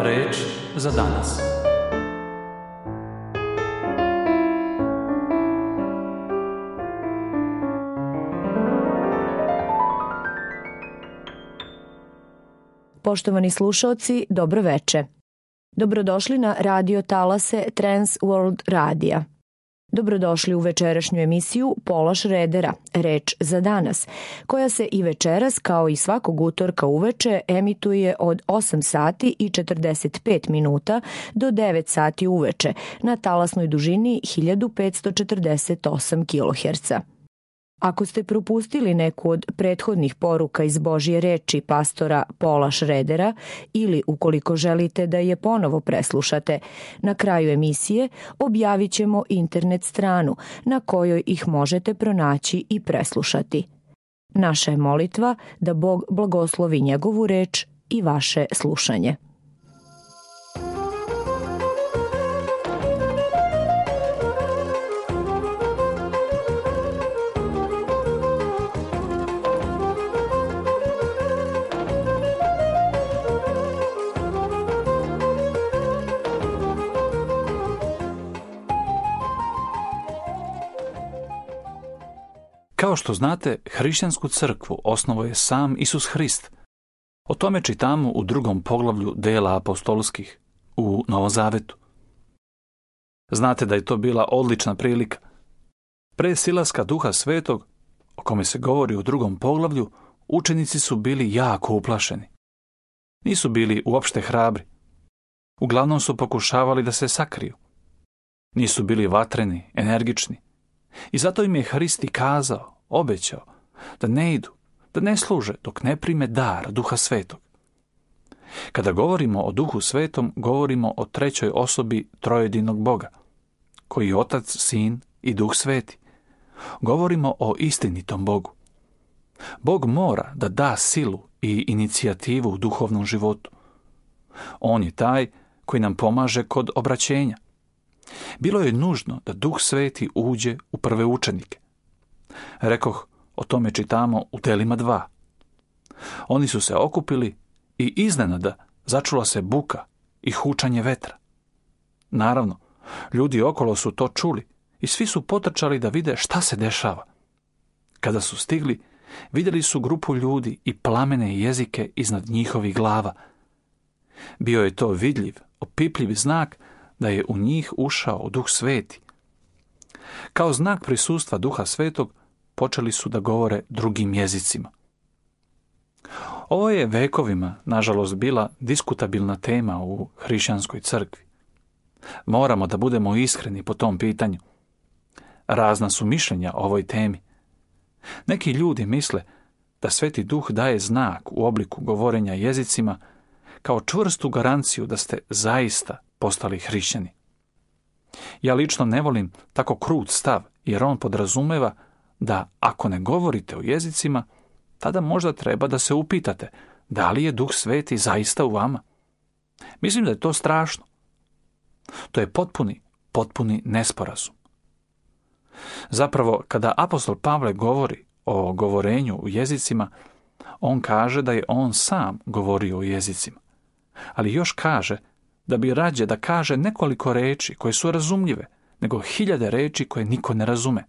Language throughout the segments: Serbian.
Reč za danas. Poštovani slušaoci, dobro veče. Dobrodošli na radio talase Trans World Radija. Dobrodošli u večerašnju emisiju Pola Šredera, Reč za danas, koja se i večeras, kao i svakog utorka uveče, emituje od 8 sati i 45 minuta do 9 sati uveče na talasnoj dužini 1548 kHz. Ako ste propustili neku od prethodnih poruka iz Božje reči pastora Pola Šredera ili ukoliko želite da je ponovo preslušate, na kraju emisije objavit ćemo internet stranu na kojoj ih možete pronaći i preslušati. Naša je molitva da Bog blagoslovi njegovu reč i vaše slušanje. Kao što znate, hrišćansku crkvu osnovao je sam Isus Hrist. O tome čitamo u 2. poglavlju dela apostolskih u Novom Zavetu. Znate da je to bila odlična prilika. Pre silaska Duha Svetog, o kome se govori u 2. poglavlju, učenici su bili jako uplašeni. Nisu bili uopšte hrabri. Uglavnom su pokušavali da se sakriju. Nisu bili vatreni, energični. I zato im je Hrist i kazao, obećao, da ne idu, da ne služe dok ne prime dar Duha Svetog. Kada govorimo o Duhu Svetom, govorimo o trećoj osobi trojedinog Boga, koji je Otac, Sin i Duh Sveti. Govorimo o istinitom Bogu. Bog mora da da silu i inicijativu u duhovnom životu. On je taj koji nam pomaže kod obraćenja. Bilo je nužno da Duh Sveti uđe u prve učenike. Rekoh, o tome čitamo u Delima 2. Oni su se okupili i iznenada začula se buka i hučanje vetra. Naravno, ljudi okolo su to čuli i svi su potrčali da vide šta se dešava. Kada su stigli, vidjeli su grupu ljudi i plamene jezike iznad njihovih glava. Bio je to vidljiv, opipljiv znak da je u njih ušao Duh Sveti. Kao znak prisustva Duha Svetog počeli su da govore drugim jezicima. Ovo je vekovima, nažalost, bila diskutabilna tema u hrišćanskoj crkvi. Moramo da budemo iskreni po tom pitanju. Razna su mišljenja o ovoj temi. Neki ljudi misle da Sveti Duh daje znak u obliku govorenja jezicima kao čvrstu garanciju da ste zaista postali hrišćani. Ja lično ne volim tako krut stav, jer on podrazumeva da ako ne govorite o jezicima, tada možda treba da se upitate da li je Duh Sveti zaista u vama. Mislim da je to strašno. To je potpuni nesporazum. Zapravo, kada apostol Pavle govori o govorenju u jezicima, on kaže da je on sam govorio o jezicima. Ali još kaže da bi rađe da kaže nekoliko reči koje su razumljive, nego 1000 reči koje niko ne razume.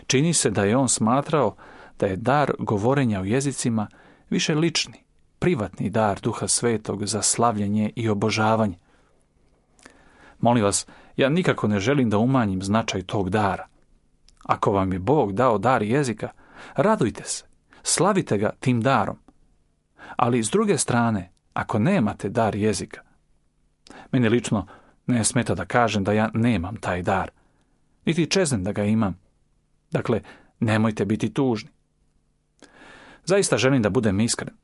Čini se da je on smatrao da je dar govorenja o jezicima više lični, privatni dar Duha Svetog za slavljenje i obožavanje. Molim vas, ja nikako ne želim da umanjim značaj tog dara. Ako vam je Bog dao dar jezika, radujte se, slavite ga tim darom. Ali s druge strane, ako nemate dar jezika, meni lično ne smeta da kažem da ja nemam taj dar, niti čeznem da ga imam. Dakle, nemojte biti tužni. Zaista želim da budem iskren.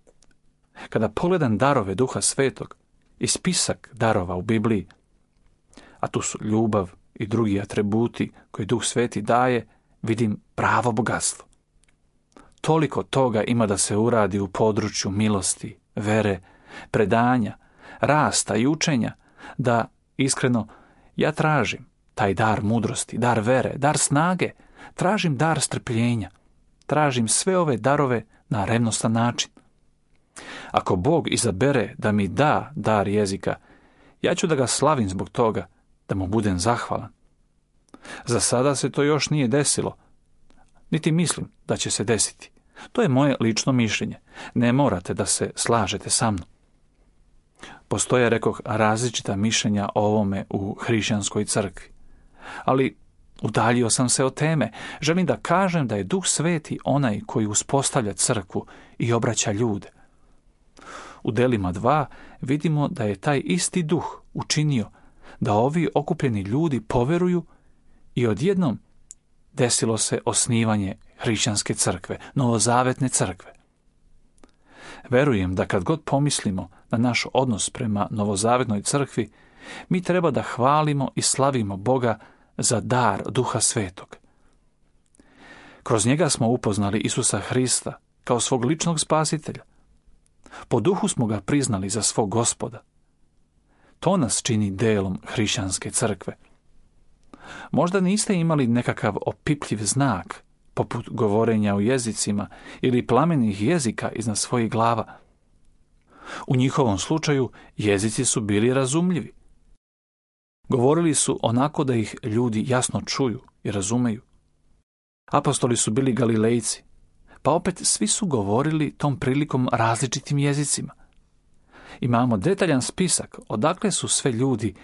Kada pogledam darove Duha Svetog i spisak darova u Bibliji, a tu su ljubav i drugi atributi koje Duh Sveti daje, vidim pravo bogatstvo. Toliko toga ima da se uradi u području milosti, vere, predanja, rasta i učenja, da, iskreno, ja tražim taj dar mudrosti, dar vere, dar snage, tražim dar strpljenja, tražim sve ove darove na revnostan način. Ako Bog izabere da mi da dar jezika, ja ću da ga slavim zbog toga, da mu budem zahvalan. Za sada se to još nije desilo, niti mislim da će se desiti. To je moje lično mišljenje. Ne morate da se slažete sa mnom. Postoje, rekoh, različita mišljenja o ovome u hrišćanskoj crkvi. Ali udaljio sam se od teme. Želim da kažem da je Duh Sveti onaj koji uspostavlja crkvu i obraća ljude. U Delima 2 vidimo da je taj isti Duh učinio da ovi okupljeni ljudi poveruju i odjednom desilo se osnivanje hrišćanske crkve, novozavetne crkve. Verujem da kad god pomislimo na naš odnos prema novozavetnoj crkvi, mi treba da hvalimo i slavimo Boga za dar Duha Svetog. Kroz njega smo upoznali Isusa Hrista kao svog ličnog spasitelja. Po duhu smo ga priznali za svog Gospoda. To nas čini delom hrišćanske crkve. Možda niste imali nekakav opipljiv znak, poput govorenja u jezicima ili plamenih jezika iznad svojih glava. U njihovom slučaju jezici su bili razumljivi. Govorili su onako da ih ljudi jasno čuju i razumeju. Apostoli su bili Galilejci, pa opet svi su govorili tom prilikom različitim jezicima. Imamo detaljan spisak odakle su sve ljudi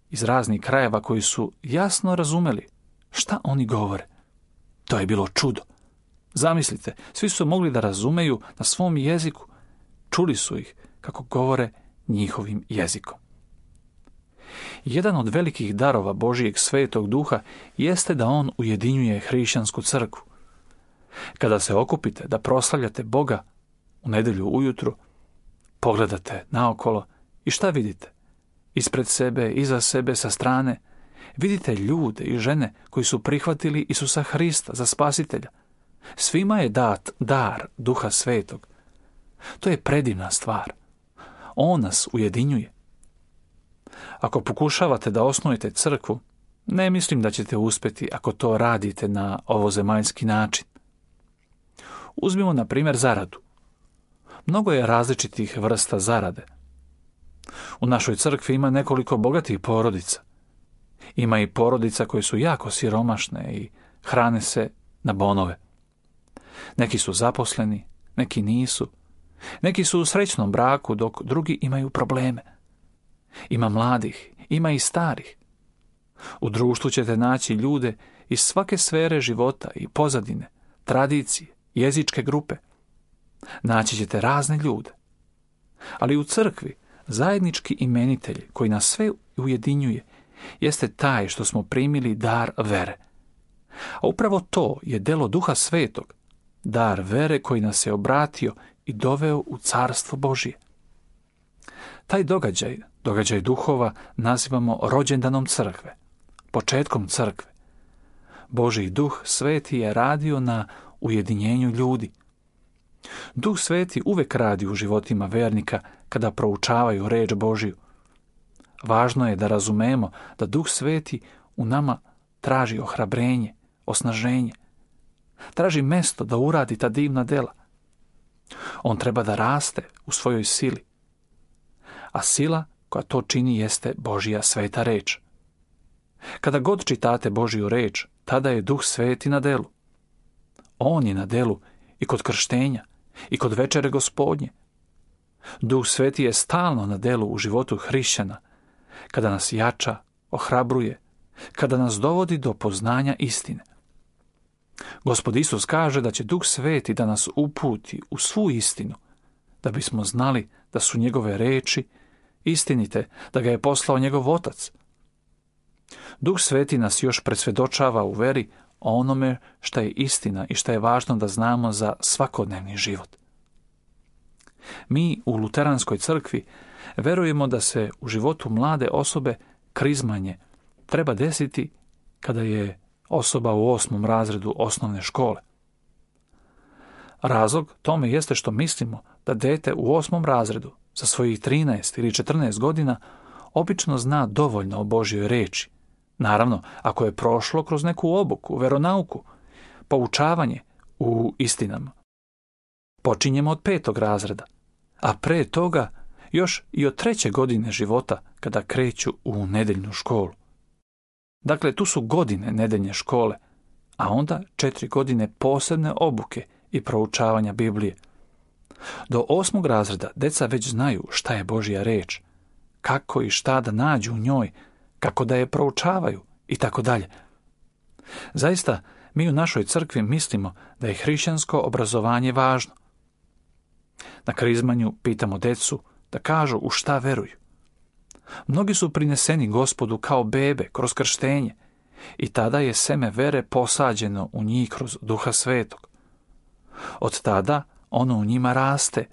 iz raznih krajeva koji su jasno razumeli šta oni govore. To je bilo čudo. Zamislite, svi su mogli da razumeju na svom jeziku. Čuli su ih kako govore njihovim jezikom. Jedan od velikih darova Božijeg Svetog Duha jeste da on ujedinjuje hrišćansku crkvu. Kada se okupite da proslavljate Boga u nedjelju ujutru, pogledate naokolo i šta vidite? Ispred sebe, iza sebe, sa strane, vidite ljude i žene koji su prihvatili Isusa Hrista za spasitelja. Svima je dat dar Duha Svetog. To je predivna stvar. On nas ujedinjuje. Ako pokušavate da osnujete crkvu, ne mislim da ćete uspjeti ako to radite na ovozemaljski način. Uzmimo na primjer zaradu. Mnogo je različitih vrsta zarade. U našoj crkvi ima nekoliko bogatih porodica. Ima i porodica koje su jako siromašne i hrane se na bonove. Neki su zaposleni, neki nisu. Neki su u srećnom braku, dok drugi imaju probleme. Ima mladih, ima i starih. U društvu ćete naći ljude iz svake sfere života i pozadine, tradicije, jezičke grupe. Naći ćete razne ljude. Ali u crkvi zajednički imenitelj koji nas sve ujedinjuje jeste taj što smo primili dar vere. A upravo to je delo Duha Svetog, dar vere koji nas je obratio i doveo u Carstvo Božije. Taj događaj duhova, nazivamo rođendanom crkve, početkom crkve. Božji Duh Sveti je radio na ujedinjenju ljudi. Duh Sveti uvek radi u životima vernika kada proučavaju reč Božju. Važno je da razumemo da Duh Sveti u nama traži ohrabrenje, osnaženje. Traži mesto da uradi ta divna dela. On treba da raste u svojoj sili. A sila koja to čini jeste Božja sveta reč. Kada god čitate Božju reč, tada je Duh Sveti na delu. On je na delu i kod krštenja, i kod večere Gospodnje. Duh Sveti je stalno na delu u životu hrišćana, kada nas jača, ohrabruje, kada nas dovodi do poznanja istine. Gospod Isus kaže da će Duh Sveti da nas uputi u svu istinu, da bismo znali da su njegove reči istinite, da ga je poslao njegov Otac. Duh Sveti nas još presvjedočava u veri o onome šta je istina i šta je važno da znamo za svakodnevni život. Mi u Luteranskoj crkvi verujemo da se u životu mlade osobe krizmanje treba desiti kada je osoba u 8. razredu osnovne škole. Razlog tome jeste što mislimo da dete u 8. razredu sa svojih 13 ili 14 godina obično zna dovoljno o Božjoj reči. Naravno, ako je prošlo kroz neku obuku, veronauku, poučavanje u istinama. Počinjemo od 5. razreda, a pre toga još i od 3. godine života kada kreću u nedeljnu školu. Dakle, tu su godine nedeljne škole, a onda 4 godine posebne obuke i proučavanja Biblije. Do 8. razreda deca već znaju šta je Božja reč, kako i šta da nađu u njoj, kako da je proučavaju i tako dalje. Zaista, mi u našoj crkvi mislimo da je hrišćansko obrazovanje važno. Na krizmanju pitamo decu da kažu u šta veruju. Mnogi su prineseni Gospodu kao bebe kroz krštenje i tada je seme vere posađeno u njih kroz Duha Svetog. Od tada ono u njima raste.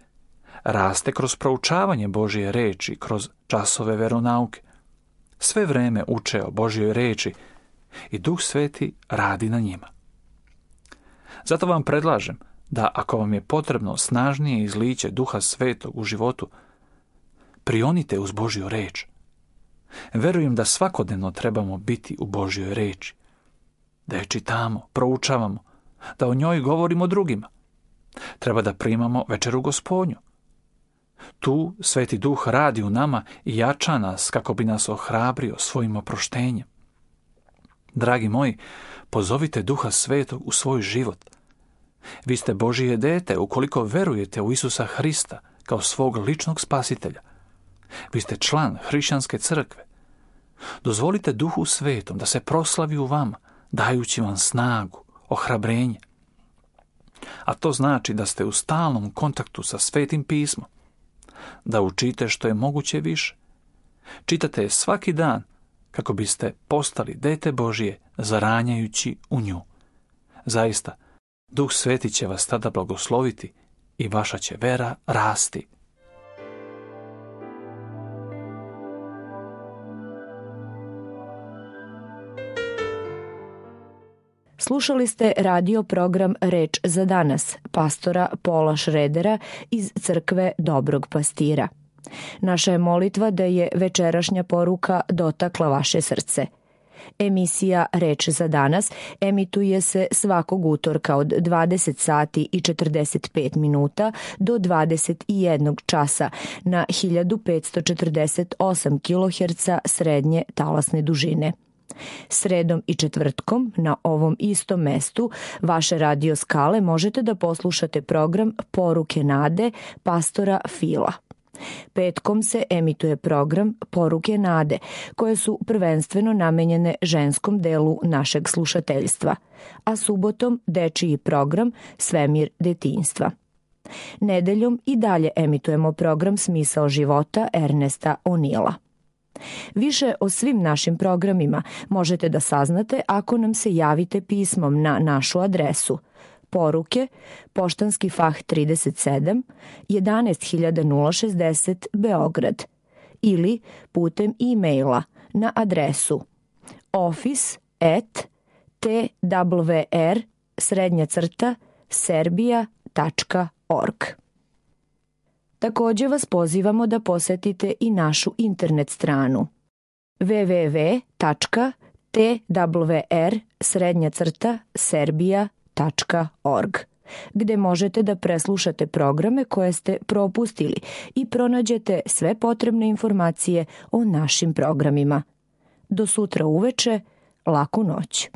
Raste kroz proučavanje Božje reči, kroz časove veronauke. Sve vreme uče o Božjoj reči i Duh Sveti radi na njima. Zato vam predlažem da ako vam je potrebno snažnije izliće Duha Svetog u životu, prionite uz Božju reč. Verujem da svakodnevno trebamo biti u Božjoj reči, da je čitamo, proučavamo, da o njoj govorimo drugima. Treba da primamo večeru Gospodnju. Tu Sveti Duh radi u nama i jača nas kako bi nas ohrabrio svojim oproštenjem. Dragi moji, pozovite Duha Svetog u svoj život. Vi ste Božije dete ukoliko verujete u Isusa Hrista kao svog ličnog spasitelja. Vi ste član hrišćanske crkve. Dozvolite Duhu Svetom da se proslavi u vama, dajući vam snagu, ohrabrenje. A to znači da ste u stalnom kontaktu sa Svetim pismom, da učite što je moguće više. Čitate je svaki dan kako biste postali dete Božije zaranjajući u nju. Zaista, Duh Sveti će vas tada blagosloviti i vaša će vera rasti. Slušali ste radio program Reč za danas, pastora Paula Schroedera iz crkve Dobrog pastira. Naša je molitva da je večerašnja poruka dotakla vaše srce. Emisija Reč za danas emituje se svakog utorka od 20 sati i 45 minuta do 21 časa na 1548 kHz srednje talasne dužine. Sredom i četvrtkom na ovom istom mestu vaše radio skale možete da poslušate program Poruke nade pastora Fila. Petkom se emituje program Poruke nade, koje su prvenstveno namenjene ženskom delu našeg slušateljstva, a subotom dečiji program Svemir detinjstva. Nedeljom i dalje emitujemo program Smisao života Ernesta O'Neila. Više o svim našim programima možete da saznate ako nam se javite pismom na našu adresu Poruke, Poštanski fah 37, 11060 Beograd ili putem e-maila na adresu office@twr-serbia.org. Također vas pozivamo da posetite i našu internet stranu www.twr-serbia.org, gde možete da preslušate programe koje ste propustili i pronađete sve potrebne informacije o našim programima. Do sutra uveče, laku noć.